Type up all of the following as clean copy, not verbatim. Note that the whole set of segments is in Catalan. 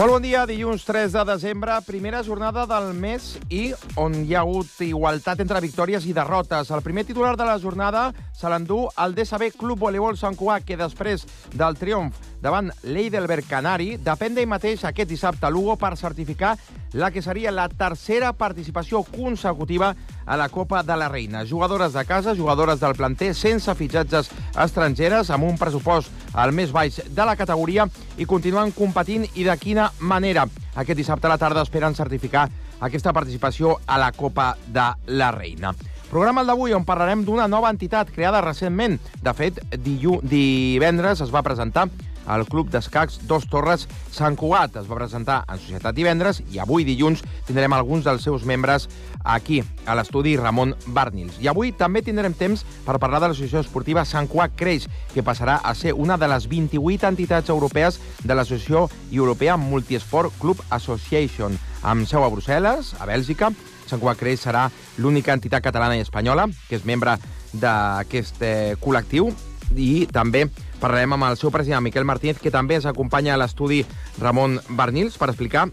Molt bon dia, dilluns 3 de desembre, primera jornada del mes i on hi ha hagut igualtat entre victòries i derrotes. El primer titular de la jornada se l'endú el DSB Club Voleibol Sant Cugat, que després del triomf davant l'Eidelberg Canari depèn d'ell mateix aquest dissabte a Lugo per certificar la que seria la tercera participació consecutiva a la Copa de la Reina. Jugadores de casa, jugadores del planter, sense fitxatges estrangeres, amb un pressupost al més baix de la categoria i continuen competint i de quina manera. Aquest dissabte a la tarda esperen certificar aquesta participació a la Copa de la Reina. Programa el d'avui on parlarem d'una nova entitat creada recentment. De fet, divendres es va presentar al Club d'Escacs Dos Torres Sant Cugat. Es va presentar en societat divendres i avui, dilluns, tindrem alguns dels seus membres aquí, a l'estudi Ramon Barnils. I avui també tindrem temps per parlar de l'associació esportiva Sant Cugat Creix, que passarà a ser una de les 28 entitats europees de l'associació europea Multisport Club Association, amb seu a Brussel·les, a Bèlgica. Sant Cugat Creix serà l'única entitat catalana i espanyola que és membre d'aquest col·lectiu, i també parlarem amb el seu president, Miquel Martínez, que també ens acompanya a l'estudi Ramon Barnils per explicar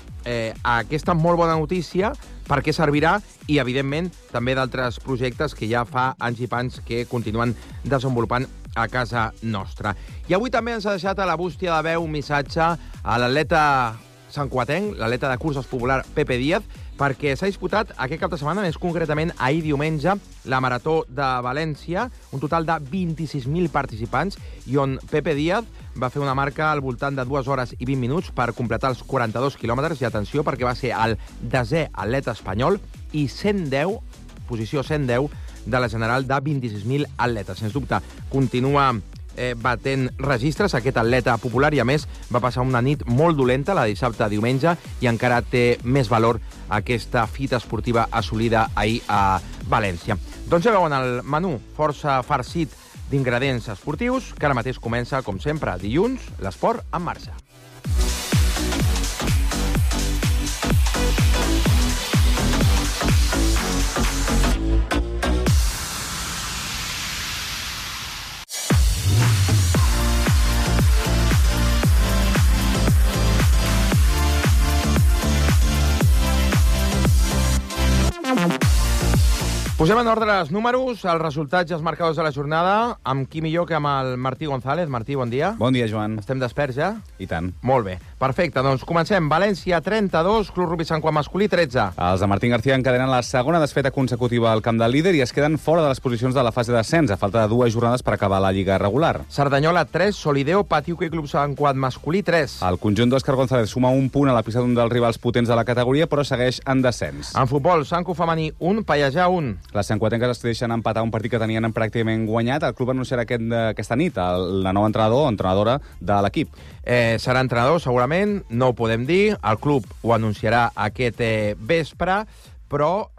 aquesta molt bona notícia, per què servirà i, evidentment, també d'altres projectes que ja fa anys i pans que continuen desenvolupant a casa nostra. I avui també ens ha deixat a la bústia de veu un missatge a l'atleta santcugatenc, l'atleta de curses popular Pepe Díaz, perquè s'ha disputat aquest cap de setmana, més concretament ahir diumenge, la Marató de València, un total de 26.000 participants, i on Pepe Díaz va fer una marca al voltant de 2 hores i 20 minuts per completar els 42 quilòmetres, i atenció, perquè va ser el 10è atleta espanyol i 110, posició 110, de la general de 26.000 atletes. Sens dubte, continua batent registres aquest atleta popular i, a més, va passar una nit molt dolenta, la de dissabte a diumenge, i encara té més valor aquesta fita esportiva assolida ahir a València. Doncs ja veuen el menú força farcit d'ingredients esportius, que ara mateix comença, com sempre, dilluns, l'esport en marxa. Posem en ordre els números, els resultats i els marcadors de la jornada, amb qui millor que amb el Martí González. Martí, bon dia. Bon dia, Joan. Estem desperts ja? I tant. Molt bé. Perfecte, doncs comencem. València 32, Club Rugby Sant Cugat masculí 13. Els de Martín García encadenen la segona desfeta consecutiva al camp del líder i es queden fora de les posicions de la fase d'ascens, a falta de 2 jornades per acabar la lliga regular. Cerdanyola 3, Solideo, Patiuca i Club Sant Cugat masculí 3. El conjunt d'Òscar González suma un punt a la pista d'un dels rivals potents de la categoria, però segueix en descens. En futbol, Sant Cugat femení 1, Pallejà 1. Les santcugatenques es deixen empatar un partit que tenien pràcticament guanyat. El club anunciarà aquesta nit la nova entrenadora de l'equip. Serà entrenador, segurament, no ho podem dir. El club ho anunciarà aquest vespre, però,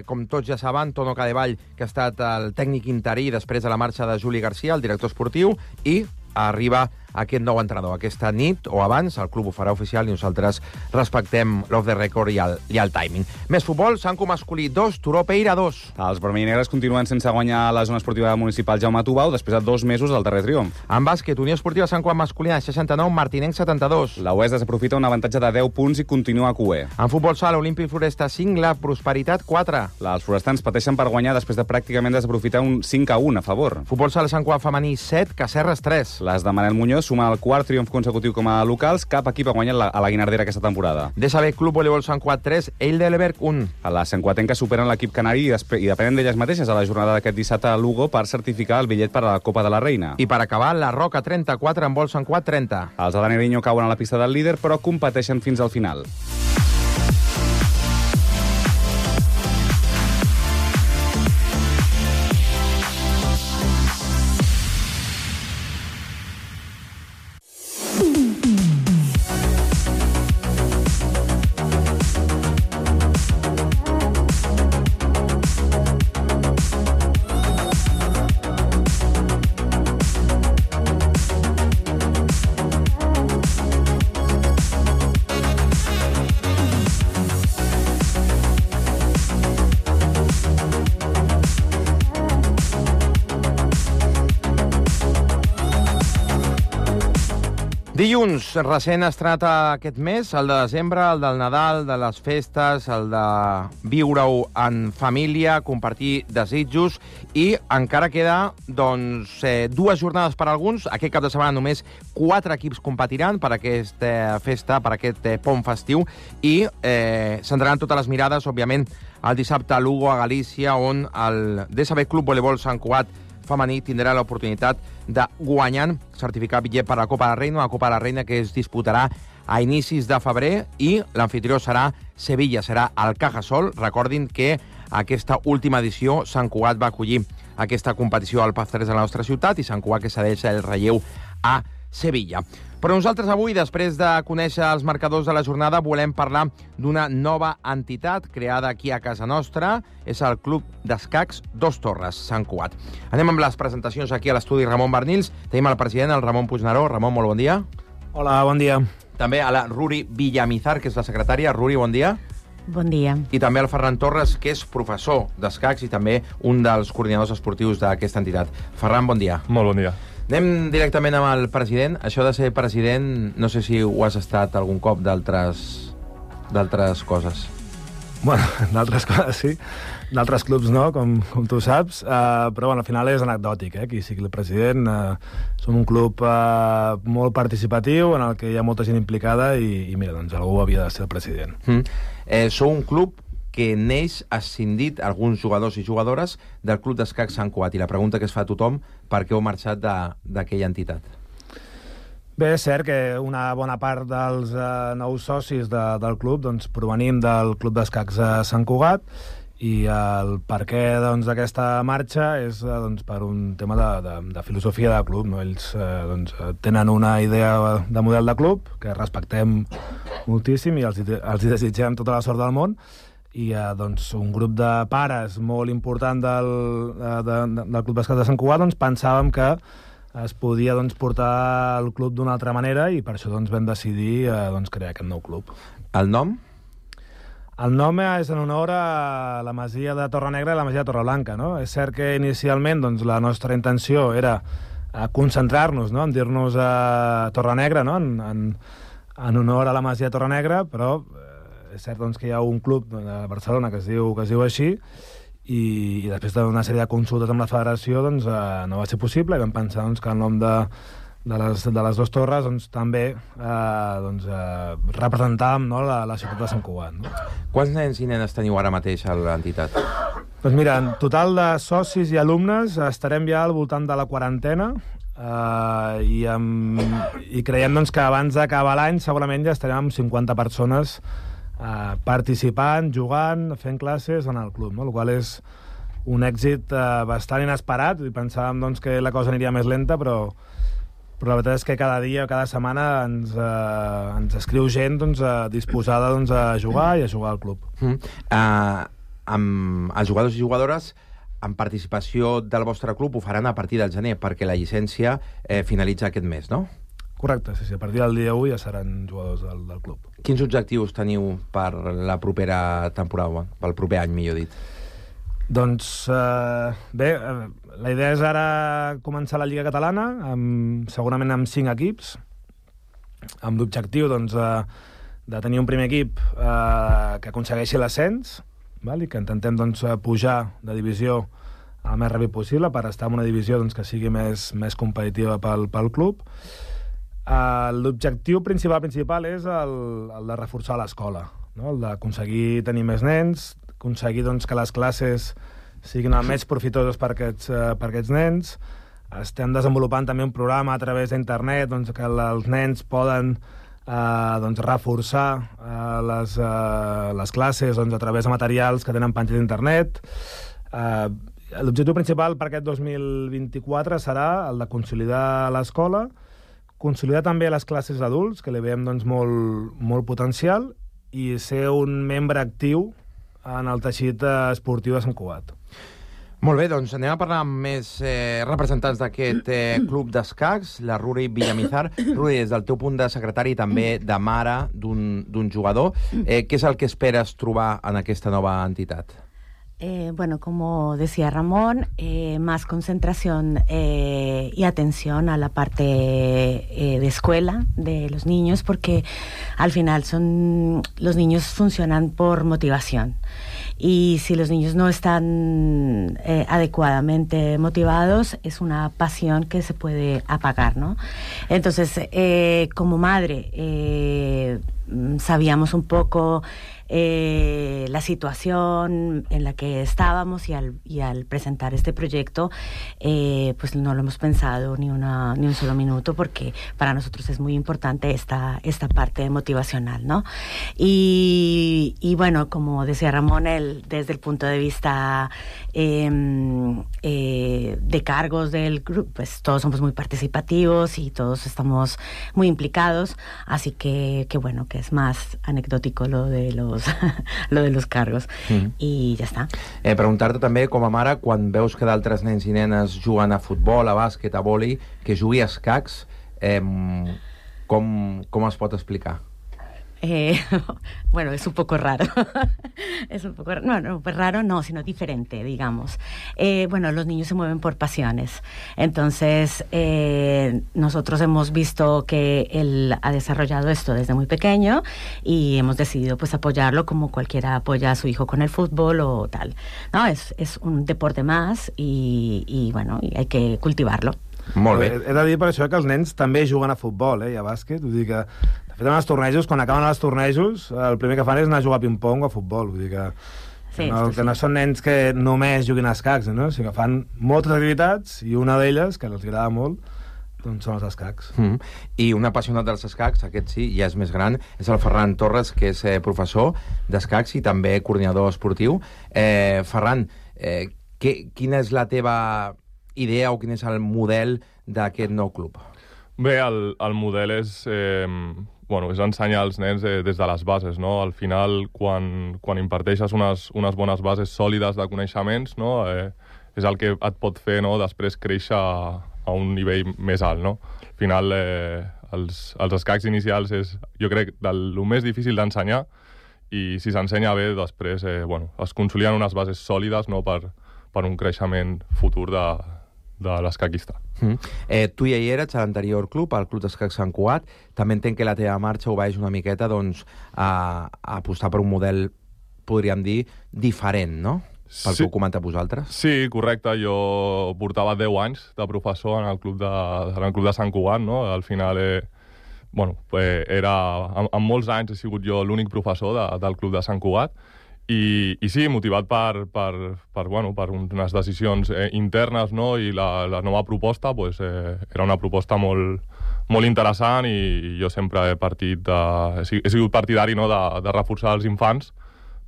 com tots ja saben, Tono Cadevall, que ha estat el tècnic interí després de la marxa de Juli García, el director esportiu, i arriba aquest nou entrenador. Aquesta nit o abans el club ho farà oficial i nosaltres respectem l'off the record i el timing. Més futbol, Sant Cugat masculí 2, Turó Peira 2. Els vermellinegres continuen sense guanyar la zona esportiva municipal Jaume Tubau després de 2 mesos del darrer triomf. En bàsquet, Unió Esportiva Sant Cugat masculina 69, Martinenc 72. La UES desaprofita un avantatge de 10 punts i continua a QE. En futbol sala, Olímpic Floresta 5, la Prosperitat 4. Els forestans pateixen per guanyar després de pràcticament desaprofitar un 5-1 a favor. Futbol sala Sant Cugat femení 7, Cacerres 3. Les de Manel Muñoz sumen el quart triomf consecutiu com a locals. Cap equip ha guanyat a la Guinardera aquesta temporada. DSB Club Voleibol Sant Cugat 3, Eidelberg 1. A la santcugatenques superen l'equip canari i depenen d'elles mateixes a la jornada d'aquest dissabte a Lugo per certificar el bitllet per a la Copa de la Reina. I per acabar, la Roca 34, en vol Sant Cugat 30. Els de Dani Riño cauen a la pista del líder, però competeixen fins al final. Dilluns, recent estrenat aquest mes, el de desembre, el del Nadal, de les festes, el de viure-ho en família, compartir desitjos, i encara queda dues jornades per a alguns. Aquest cap de setmana només 4 equips competiran per aquesta festa, per aquest pont festiu, i centraran totes les mirades, òbviament, el dissabte a Lugo, a Galícia, on el DSB Club Voleibol Sant Cugat femení tindrà l'oportunitat de guanyar certificat bitllet per a la Copa de la Reina, una Copa de la Reina que es disputarà a inicis de febrer, i l'anfitrió serà Sevilla, serà el Cajasol. Recordin que aquesta última edició Sant Cugat va acollir aquesta competició al Paz 3 de la nostra ciutat, i Sant Cugat que cedeix el relleu a Sevilla. Però nosaltres avui, després de conèixer els marcadors de la jornada, volem parlar d'una nova entitat creada aquí a casa nostra. És el Club d'Escacs Dos Torres, Sant Cugat. Anem amb les presentacions aquí a l'estudi Ramon Bernils. Tenim el president, el Ramon Puigneró. Ramon, molt bon dia. Hola, bon dia. També a la Ruri Villamizar, que és la secretària. Ruri, bon dia. Bon dia. I també al Ferran Torres, que és professor d'escacs i també un dels coordinadors esportius d'aquesta entitat. Ferran, bon dia. Molt bon dia. Anem directament amb el president. Això de ser president, no sé si ho has estat algun cop d'altres coses. Bueno, d'altres coses sí, d'altres clubs no, com tu saps, però bueno, al final és anecdòtic, qui sigui el president. Som un club molt participatiu, en el que hi ha molta gent implicada, i mira, doncs algú havia de ser el president. Sou un club que neix ascendit alguns jugadors i jugadores del Club d'Escacs Sant Cugat, i la pregunta que es fa a tothom, per què heu marxat d'aquella entitat? Bé, és cert que una bona part dels nous socis del club doncs, provenim del Club d'Escacs Sant Cugat, i el perquè d'aquesta marxa és per un tema de filosofia de club. No? Ells tenen una idea de model de club que respectem moltíssim i els hi desitgem tota la sort del món, i un grup de pares molt important del Club d'Escacs de Sant Cugat pensàvem que es podia portar el club d'una altra manera, i per això vam decidir crear aquest nou club. El nom? El nom és en honor a la masia de Torrenegra i la masia de Torreblanca. No? És cert que inicialment la nostra intenció era concentrar-nos, no? en dir-nos a Torrenegra, no? en honor a la masia de Torrenegra, però és cert que hi ha un club de Barcelona que es diu així, i després d'una sèrie de consultes amb la federació no va ser possible, i vam pensar que el nom de les dues torres també representàvem la ciutat de Sant Cugat. No? Quants nens i nenes teniu ara mateix a l'entitat? Doncs mira, en total de socis i alumnes estarem ja al voltant de la 40, i creiem que abans d'acabar l'any segurament ja estarem amb 50 persones participant, jugant, fent classes en el club, no? El qual és un èxit bastant inesperat, i pensàvem que la cosa aniria més lenta, però la veritat és que cada dia, cada setmana ens escriu gent disposada a jugar i a jugar al club. Amb els jugadors i jugadores amb participació del vostre club ho faran a partir del gener, perquè la llicència finalitza aquest mes, no? Correcte, sí, a partir del dia 1 ja seran jugadors del club. Quins objectius teniu per la propera temporada, pel proper any, millor dit? Doncs, bé, la idea és ara començar la Lliga Catalana, segurament amb 5 equips, amb l'objectiu de tenir un primer equip que aconsegueixi l'ascens, i que intentem pujar de divisió el més ràpid possible per estar en una divisió que sigui més competitiva pel club. L'objectiu principal és el de reforçar l'escola, no? El d'aconseguir tenir més nens, aconseguir que les classes siguin el més profitoses per aquests nens. Estem desenvolupant també un programa a través d'internet que els nens poden reforçar les classes a través de materials que tenen penjats d'internet. L'objectiu principal per aquest 2024 serà el de consolidar l'escola, consolidar també les classes d'adults, que li veiem molt potencial, i ser un membre actiu en el teixit esportiu de Sant Cugat. Molt bé, doncs anem a parlar amb més representants d'aquest club d'escacs, la Ruri Villamizar. Ruri, des del teu punt de secretari i també de mare d'un jugador, què és el que esperes trobar en aquesta nova entitat? Bueno, como decía Ramón, más concentración y atención a la parte de escuela de los niños, porque al final los niños funcionan por motivación. Y si los niños no están adecuadamente motivados, es una pasión que se puede apagar, ¿no? Entonces, como madre, sabíamos un poco la situación en la que estábamos y al presentar este proyecto, pues no lo hemos pensado ni un solo minuto, porque para nosotros es muy importante esta parte motivacional, ¿no? Y bueno, como decía Ramón, desde el punto de vista de cargos del grupo, pues todos somos muy participativos y todos estamos muy implicados, así que bueno, que es más anecdòtico lo de los cargos. I ja està. Preguntar-te també, com a mare, quan veus que d'altres nens i nenes juguen a futbol, a bàsquet, a vòlei, que jugui a escacs, com es pot explicar? Bueno, es un poco raro. Es un poco no, pues raro no, sino diferente, digamos. Bueno, los niños se mueven por pasiones. Entonces, nosotros hemos visto que él ha desarrollado esto desde muy pequeño y hemos decidido pues apoyarlo como cualquiera apoya a su hijo con el fútbol o tal. No, es un deporte más y bueno, y hay que cultivarlo. Molt bé. He de dir per això que els nens també juguen a futbol i a bàsquet. Vull dir que, de fet, en els tornejos, quan acaben els tornejos, el primer que fan és anar a jugar a ping-pong o a futbol. Vull dir que, sí, que no són nens que només juguin a escacs, no? Sinó que fan moltes activitats i una d'elles, que els agrada molt, doncs són els escacs. I un apassionat dels escacs, aquest sí, ja és més gran, és el Ferran Torres, que és professor d'escacs i també coordinador esportiu. Ferran, quina és la teva idea o quin és el model d'aquest nou club? Bé, el model és ensenyar als nens des de les bases, no? Al final, quan imparteixes unes bones bases sòlides de coneixements, no? És el que et pot fer, no? Després créixer a un nivell més alt, no? Al final, els escacs inicials és, jo crec, el més difícil d'ensenyar, i si s'ensenya bé, després es consoliden unes bases sòlides, no? Per un creixement futur de l'escaquista. Tu ja hi eres a l'anterior club, al Club d'Escacs Sant Cugat. També entenc que la teva marxa obeeix una miqueta a apostar per un model, podríem dir, diferent, no? Pel que ho comentat vosaltres. Sí, correcte. Jo portava 10 anys de professor en el Club de Sant Cugat, no? Al final, en molts anys he sigut jo l'únic professor del Club de Sant Cugat. I sí, motivat per unes decisions internes, no? I la nova proposta era una proposta molt interessant, i jo sempre he sigut partidari, no? de reforçar els infants,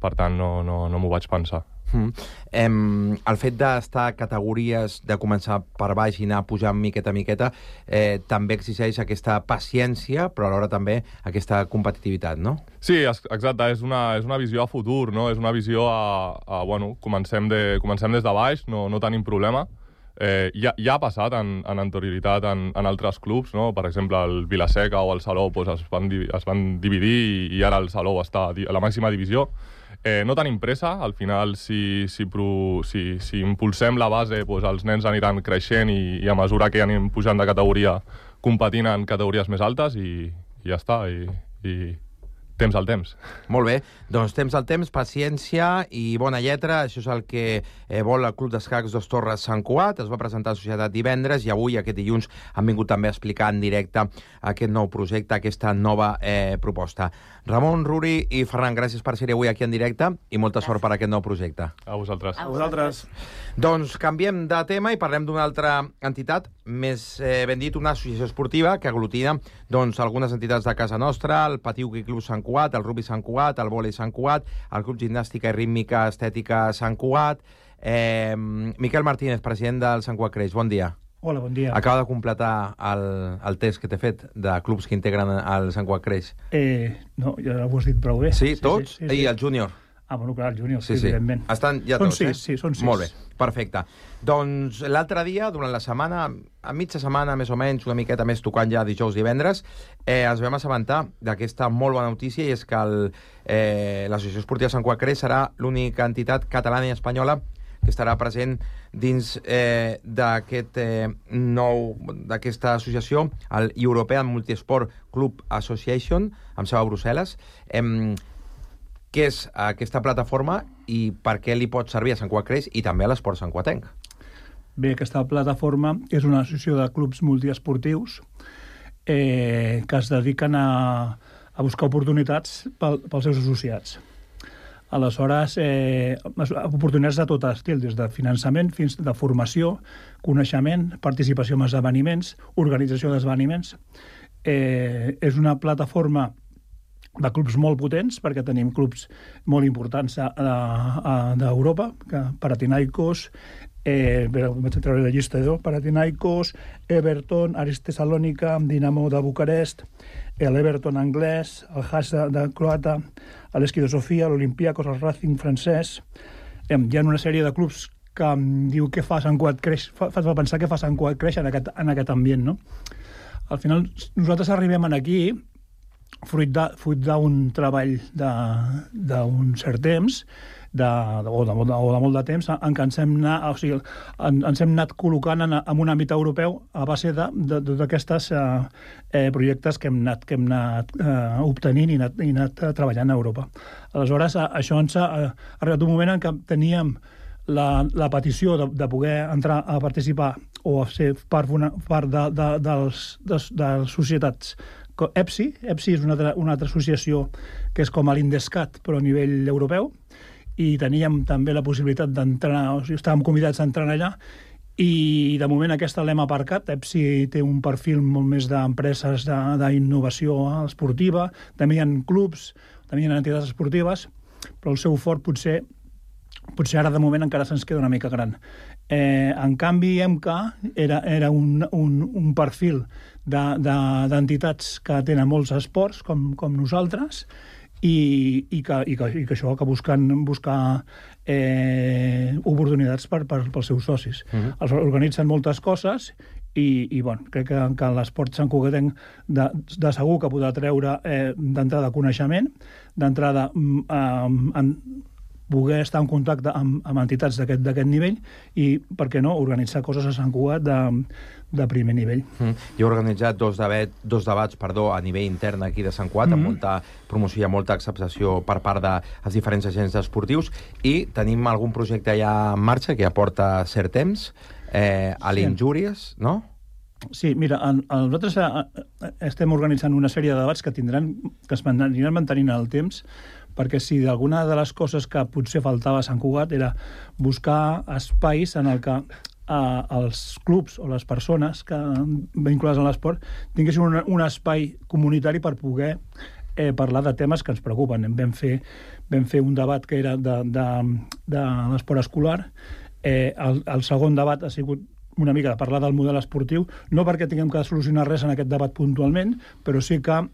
per tant no m'ho vaig pensar. El fet d'estar a categories, de començar per baix i anar pujant miqueta a miqueta, també exigeix aquesta paciència, però alhora també aquesta competitivitat, no? Sí, exacte, és una visió a futur, no? És una visió comencem des de baix, no tenim problema. Ja ha passat en anterioritat en altres clubs, no? Per exemple, el Vila-seca o el Salou es van dividir i ara el Salou està a la màxima divisió. No tenim pressa, al final si impulsem la base, els nens aniran creixent i a mesura que anem pujant de categoria competint en categories més altes i ja està, i temps al temps. Molt bé, doncs temps al temps, paciència i bona lletra, això és el que vol el Club d'Escacs Dos Torres Sant Cugat. Es va presentar a Societat divendres i avui, aquest dilluns, han vingut també a explicar en directe aquest nou projecte, aquesta nova proposta. Ramon, Ruri i Ferran, gràcies per ser avui aquí en directe i molta sort per aquest nou projecte. A vosaltres. A vosaltres. Doncs canviem de tema i parlem d'una altra entitat, més ben dit, una associació esportiva que aglutina algunes entitats de casa nostra, el Patí Hoquei Club Sant Cugat, el Rugby Sant Cugat, el Vòlei Sant Cugat, el Club Gimnàstica i Rítmica Estètica Sant Cugat. Miquel Martínez, president del Sant Cugat Creix, bon dia. Hola, bon dia. Acaba de completar el test que t'he fet de clubs que integren el Sant Cugat Creix. No, ja ho has dit prou bé. Sí, tots? Sí. I el júnior? Bueno, clar, el júnior, Sí. evidentment. Estan ja Són tots, sis, sí, són sis. Molt bé, perfecte. Doncs l'altre dia, durant la setmana, a mitja setmana, més o menys, una miqueta més tocant ja dijous, divendres, ens vam assabentar d'aquesta molt bona notícia, i és que l'Associació Esportiva Sant Cugat Creix serà l'única entitat catalana i espanyola que estarà present dins d'aquesta associació, el European Multisport Club Association, amb seu a Brussel·les. Què és aquesta plataforma i per què li pot servir a Sant Cugat Creix i també a l'esport santcuatenc? Bé, aquesta plataforma és una associació de clubs multiesportius que es dediquen a buscar oportunitats pels seus associats. Aleshores, oportunitats de tot estil, des de finançament fins de formació, coneixement, participació en esdeveniments, organització d'esdeveniments. És una plataforma de clubs molt potents, perquè tenim clubs molt importants d'Europa, Panathinaikos, vaig a treure la llista Panathinaikos, Everton, Aris Tessalònica, Dinamo de Bucarest, l'Everton anglès, el Haas de croata, l'Esqui de Sofia, l'Olympiakos, el Racing francès. Hi ha una sèrie de clubs que em diu què fa Sant Cugat Creix, fa pensar què fa Sant Cugat Creix en aquest ambient, no? Al final, nosaltres arribem aquí fruit d'un treball d'un cert temps, o de molt de temps, en què ens hem anat col·locant en un àmbit europeu a base d'aquestes projectes que hem anat obtenint i anat treballant a Europa. Aleshores, això ens ha arribat un moment en què teníem la petició de poder entrar a participar o a ser part de les societats EPSI. EPSI és una altra associació que és com l'Indescat, però a nivell europeu, i teníem també la possibilitat d'entrar, o sigui, estàvem convidats a entrar allà, i de moment aquesta l'hem aparcat. EPSI té un perfil molt més d'empreses d'innovació esportiva, també hi ha clubs, també hi ha entitats esportives, però el seu fort potser ara de moment encara se'ns queda una mica gran. En canvi, EMCA era un perfil d'entitats que tenen molts esports, com nosaltres, i que això, que buscar oportunitats pels seus socis. Els organitzen moltes coses i crec que l'esport santcugatenc de segur que podrà treure d'entrada coneixement, d'entrada poder estar en contacte amb entitats d'aquest nivell i, per què no, organitzar coses a Sant Cugat de primer nivell. Jo he organitzat dos debats a nivell intern aquí de Sant Cugat, amb molta promoció i molta acceptació per part dels diferents agents esportius, i tenim algun projecte ja en marxa que ja porta cert temps, a l'Injúries, no? Sí, mira, nosaltres estem organitzant una sèrie de debats que es aniran mantenint el temps, perquè si d'alguna de les coses que potser faltava a Sant Cugat era buscar espais en el que els clubs o les persones vinculades a l'esport tinguessin un espai comunitari per poder parlar de temes que ens preocupen. Vam fer un debat que era de l'esport escolar. El segon debat ha sigut una mica de parlar del model esportiu, no perquè tinguem que solucionar res en aquest debat puntualment, però sí que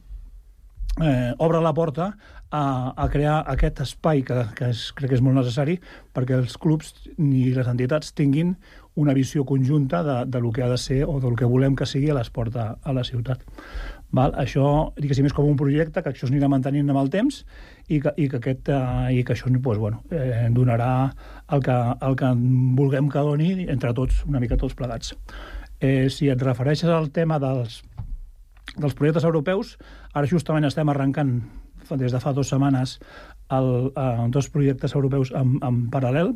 obre la porta a crear aquest espai que crec que és molt necessari perquè els clubs i les entitats tinguin una visió conjunta del que ha de ser o del que volem que sigui l'esport a la ciutat. Això, diguéssim, és com un projecte que això s'anirà mantenint amb el temps i que això donarà el que vulguem que doni entre tots, una mica tots plegats. Si et refereixes al tema dels projectes europeus, ara justament estem arrencant des de fa 2 setmanes 2 projectes europeus en paral·lel,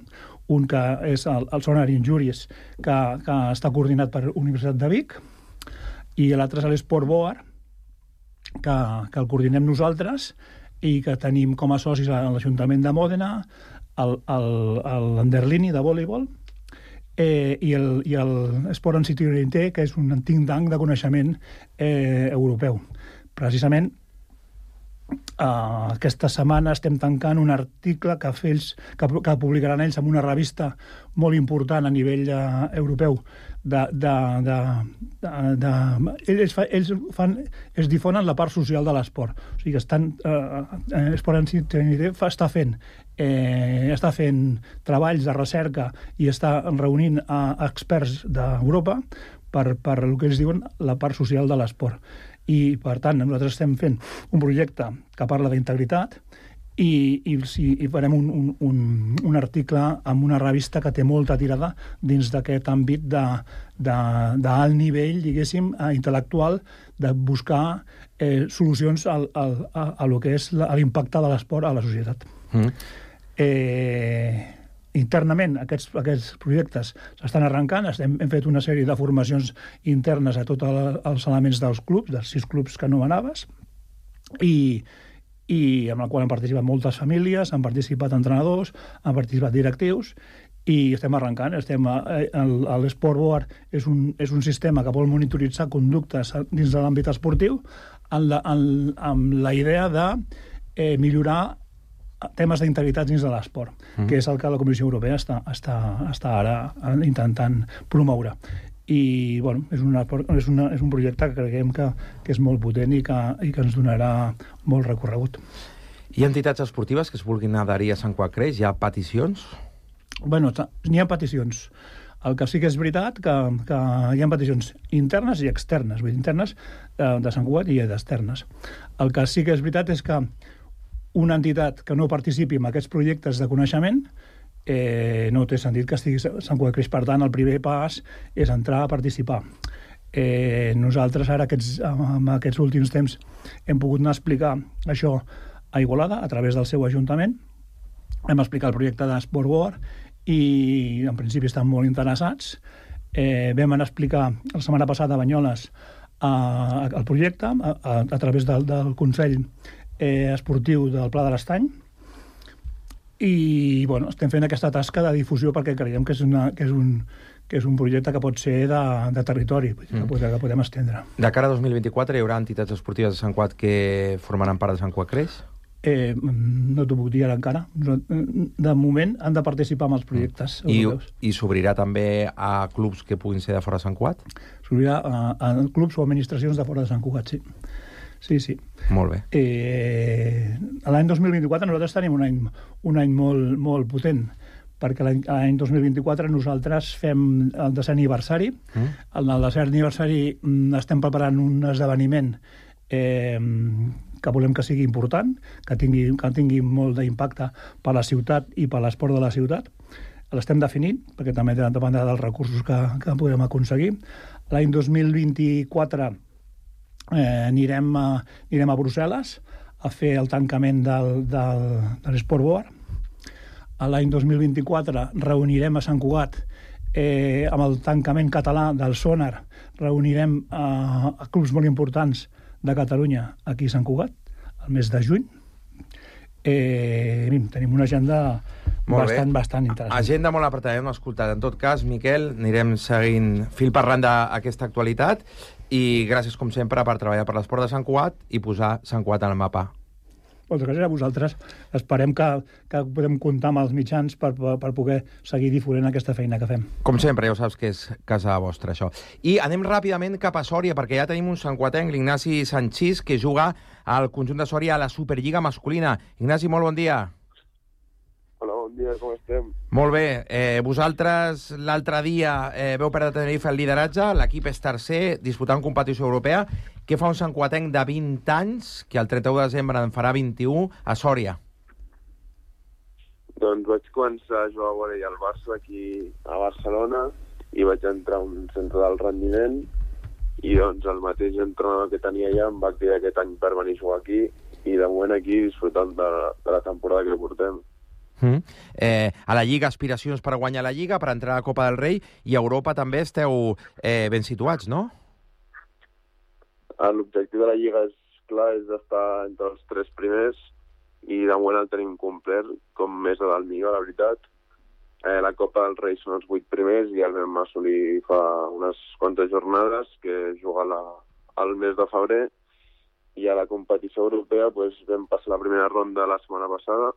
un que és el Sonar Injuries, que està coordinat per Universitat de Vic, i l'altre és l'Esport Boar, que el coordinem nosaltres i que tenim com a socis l'Ajuntament de Mòdena, l'Anderlini de voleibol, i l'Esport en City Orienté, que és un think tank de coneixement europeu. Precisament aquesta setmana estem tancant un article que publicaran ells en una revista molt important a nivell europeu. Ells difonen la part social de l'esport. O sigui que Esport en Tenerife està fent treballs de recerca i està reunint experts d'Europa per el que ells diuen la part social de l'esport. I, per tant, nosaltres estem fent un projecte que parla d'integritat i farem un article amb una revista que té molta tirada dins d'aquest àmbit d'alt nivell, diguéssim, intel·lectual, de buscar solucions a lo que és l'impacte de l'esport a la societat. Internament, aquests projectes s'estan arrencant. Hem fet una sèrie de formacions internes a tots els elements dels clubs, dels 6 clubs que anomenaves, i en el qual han participat moltes famílies, han participat entrenadors, han participat directius, i estem arrencant. L'Sportboard és un sistema que vol monitoritzar conductes dins de l'àmbit esportiu amb la idea de millorar temes d'integritat dins de l'esport, que és el que la Comissió Europea està ara intentant promoure. I, bueno, és un projecte que creiem que és molt potent i que ens donarà molt recorregut. Hi ha entitats esportives que es vulguin adherir a Sant Cugat Creix? Hi ha peticions? Bueno, n'hi ha peticions. El que sí que és veritat que hi ha peticions internes i externes, vull dir, internes de Sant Cugat i d'externes. El que sí que és veritat és que una entitat que no participi en aquests projectes de coneixement no té sentit que estigui Sant Cugat Creix. Per tant, el primer pas és entrar a participar. Nosaltres ara, en aquests últims temps, hem pogut anar a explicar això a Igualada, a través del seu ajuntament. Hem explicat el projecte d'Sportboard i, en principi, estan molt interessats. Vam anar a explicar la setmana passada a Banyoles el projecte a través del Consell Esportiu del Pla de l'Estany, i bueno, estem fent aquesta tasca de difusió perquè creiem que és un projecte que pot ser de territori, que podem estendre. De cara a 2024 hi haurà entitats esportives de Sant Cugat que formaran part de Sant Cugat Creix? No t'ho puc dir ara encara. De moment han de participar en els projectes europeus. I s'obrirà també a clubs que puguin ser de fora de Sant Cugat? S'obrirà a clubs o administracions de fora de Sant Cugat, sí. Sí. Molt bé. L'any 2024 nosaltres tenim un any molt potent, perquè l'any 2024 nosaltres fem el 10è aniversari. En el 10è aniversari estem preparant un esdeveniment que volem que sigui important, que tingui molt d'impacte per a la ciutat i per a l'esport de la ciutat. L'estem definint, perquè també dependrà dels recursos que podem aconseguir. L'any 2024 anirem a Brussel·les a fer el tancament de l'Sportboard. L'any 2024 reunirem a Sant Cugat amb el tancament català del Sonar, reunirem a clubs molt importants de Catalunya aquí a Sant Cugat, el mes de juny. Tenim una agenda bastant interessant. Agenda molt apretada, hem escoltat. En tot cas, Miquel, anirem seguint fil per randa aquesta actualitat i gràcies, com sempre, per treballar per l'esport de Sant Cugat i posar Sant Cugat al mapa. Moltes gràcies a vosaltres. Esperem que podem comptar amb els mitjans per poder seguir difonent aquesta feina que fem. Com sempre, ja ho saps que és casa vostra, això. I anem ràpidament cap a Sòria, perquè ja tenim un santcuatenc, l'Ignasi Sanchís, que juga al conjunt de Sòria a la Superliga masculina. Ignasi, molt bon dia. Hola, bon dia, com estem? Molt bé. Vosaltres l'altre dia veu perdre Tenerife el lideratge, l'equip és tercer, disputant competició europea. Què fa un santcuatenc de 20 anys, que el 31 de desembre en farà 21, a Sòria? Doncs vaig començar a jugar a vòlei al Barça aquí a Barcelona i vaig entrar a un centre d'alt rendiment i doncs el mateix entrenador que tenia allà em va cridar aquest any per venir a jugar aquí i de moment aquí disfrutant de la temporada que portem. A la Lliga, aspiracions per guanyar la Lliga, per entrar a la Copa del Rei, i a Europa també esteu ben situats, no? L'objectiu de la Lliga és clar, és d'estar entre els 3 primers i de moment el tenim complet, com més a dalt millor, la veritat. La Copa del Rei són els 8 primers i el vam assolir fa unes quantes jornades, que juga al mes de febrer, I a la competició europea vam passar la primera ronda la setmana passada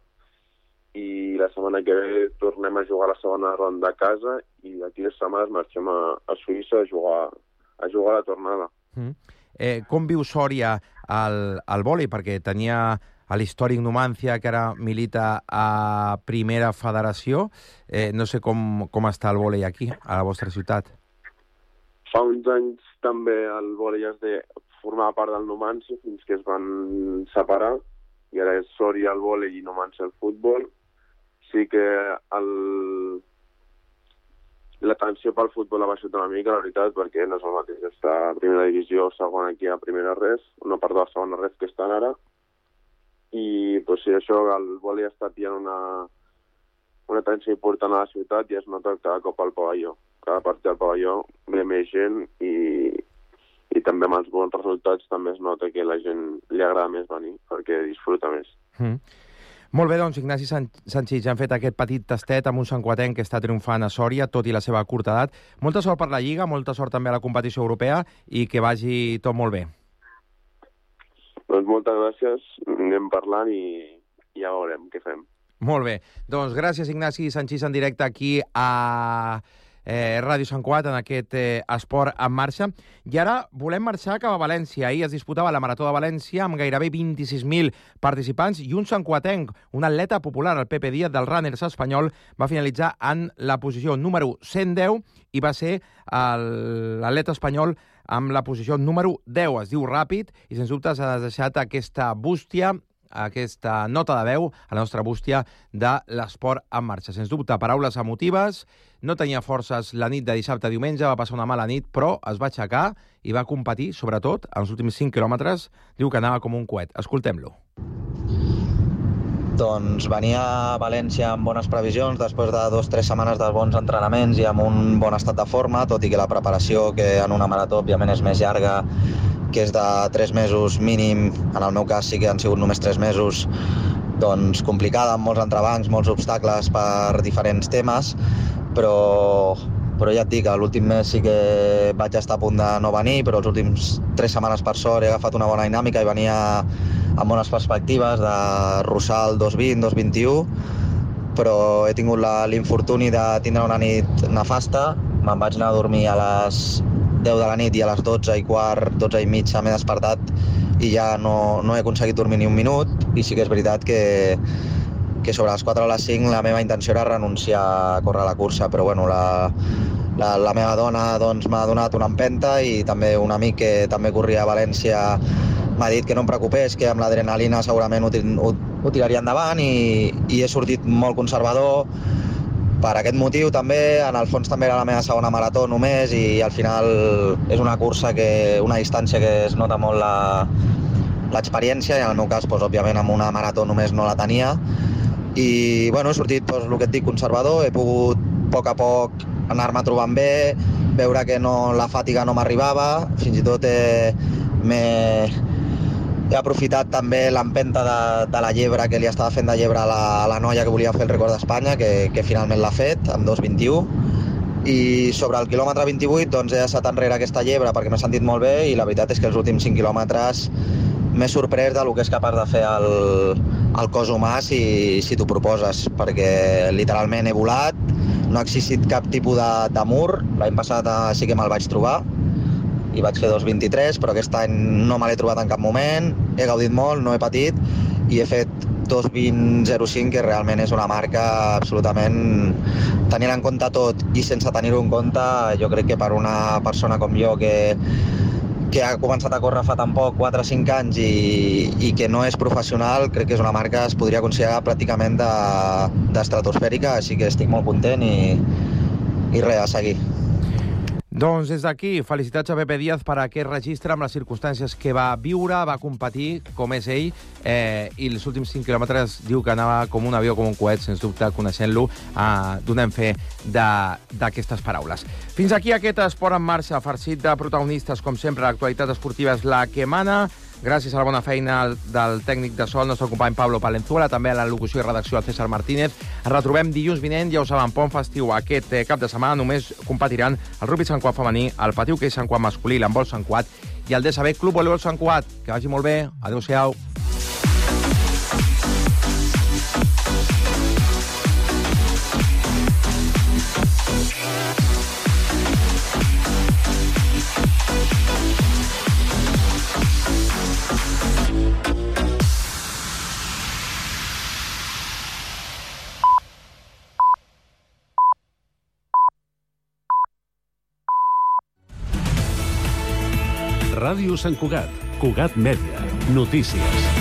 i la setmana que ve tornem a jugar la segona ronda a casa i d'aquí 2 setmanes marxem a Suïssa a jugar la tornada. Com viu Sòria al vòlei? Perquè tenia l'històric Numancia, que ara milita a Primera Federació. No sé com està el vòlei aquí, a la vostra ciutat. Fa uns anys també el vòlei formava part del Numancia fins que es van separar i ara és Sòria el vòlei i Numancia el futbol. Sí que l'atenció pel futbol ha baixat una mica, la veritat, perquè no és el mateix estar a primera divisió o segona aquí a primera res, una part de la segona res que estan ara. I sí, això, el vòlei està pillant una atenció important a la ciutat i es nota cada cop al pavelló. Cada partit al pavelló ve més gent i també amb els bons resultats també es nota que a la gent li agrada més venir perquè disfruta més. Molt bé, doncs, Ignasi Sanchis, ja han fet aquest petit tastet amb un santcugatenc que està triomfant a Sòria, tot i la seva curta edat. Molta sort per la Lliga, molta sort també a la competició europea i que vagi tot molt bé. Doncs moltes gràcies, anem parlant i ja veurem què fem. Molt bé. Doncs gràcies, Ignasi Sanchis, en directe aquí a Ràdio Sant Cugat, en aquest Esport en Marxa. I ara volem marxar cap a València. Ahir es disputava la Marató de València amb gairebé 26.000 participants i un santcugatenc, un atleta popular, el Pepe Díaz del Runners espanyol, va finalitzar en la posició número 110 i va ser l'atleta espanyol amb la posició número 10. Es diu ràpid i, sens dubte, s'ha deixat aquesta bústia, aquesta nota de veu a la nostra bústia de l'esport en marxa. Sens dubte, paraules emotives, no tenia forces la nit de dissabte a diumenge, va passar una mala nit, però es va aixecar i va competir, sobretot, en els últims 5 quilòmetres, diu que anava com un coet. Escoltem-lo. Doncs venia a València amb bones previsions, després de 2 o 3 setmanes de bons entrenaments i amb un bon estat de forma, tot i que la preparació, que en una marató, òbviament, és més llarga, que és de 3 mesos mínim, en el meu cas sí que han sigut només 3 mesos, doncs complicada, amb molts entrebancs, molts obstacles per diferents temes, però ja et dic, l'últim mes sí que vaig estar a punt de no venir, però els últims 3 setmanes per sort he agafat una bona dinàmica i venia amb bones perspectives de russar el 2.20, 2.21, però he tingut l'infortuni de tindre una nit nefasta, me'n vaig anar a dormir a les 10 de la nit i a les 12 i quart, 12 i mitja m'he despertat i ja no he aconseguit dormir ni un minut i sí que és veritat que sobre les 4 o les 5 la meva intenció era renunciar a córrer la cursa, però bueno, la meva dona doncs, m'ha donat una empenta i també un amic que també corria a València m'ha dit que no em preocupés, que amb l'adrenalina segurament ho tiraria endavant i he sortit molt conservador. Per aquest motiu també, en el fons també era la meva segona marató només i al final és una cursa, una distància que es nota molt l'experiència i en el meu cas, doncs, òbviament, amb una marató només no la tenia. I bueno, he sortit, doncs, el que et dic, conservador, he pogut a poc anar-me trobant bé, veure que la fatiga no m'arribava, fins i tot he aprofitat també l'empenta de la llebre que li estava fent de llebre a la noia que volia fer el rècord d'Espanya, que finalment l'ha fet, amb 2.21. I sobre el quilòmetre 28 doncs, he deixat enrere aquesta llebre perquè m'he sentit molt bé i la veritat és que els últims 5 quilòmetres m'he sorprès del que és capaç de fer el cos humà si t'ho proposes, perquè literalment he volat, no ha existit cap tipus de mur, l'any passat sí que me'l vaig trobar, i vaig fer 2.23, però aquest any no me l'he trobat en cap moment, he gaudit molt, no he patit, i he fet 2.20.05, que realment és una marca absolutament, tenint en compte tot i sense tenir-ho en compte, jo crec que per una persona com jo que ha començat a córrer fa tan poc, 4 o 5 anys, i que no és professional, crec que és una marca que es podria considerar pràcticament d'estratosfèrica, així que estic molt content i res, a seguir. Doncs des d'aquí, felicitats a Pepe Díaz per aquest registre amb les circumstàncies que va viure, va competir, com és ell, i els últims 5 quilòmetres diu que anava com un avió, com un coet, sens dubte, coneixent-lo, donem fe d'aquestes paraules. Fins aquí aquest Esport en Marxa, farcit de protagonistes, com sempre, l'actualitat esportiva és la que mana. Gràcies a la bona feina del tècnic de so, el nostre company Pablo Palenzuela, també a la locució i redacció el César Martínez. Ens retrobem dilluns vinent, ja ho saben, pont festiu. Aquest cap de setmana només competiran el rugby Sant Cugat femení, el patí hoquei Sant Cugat masculí, l'handbol Sant Cugat i el DSB Club Voleibol Sant Cugat. Que vagi molt bé. Adéu-siau. Ràdio Sant Cugat, Cugat Mèdia, notícies.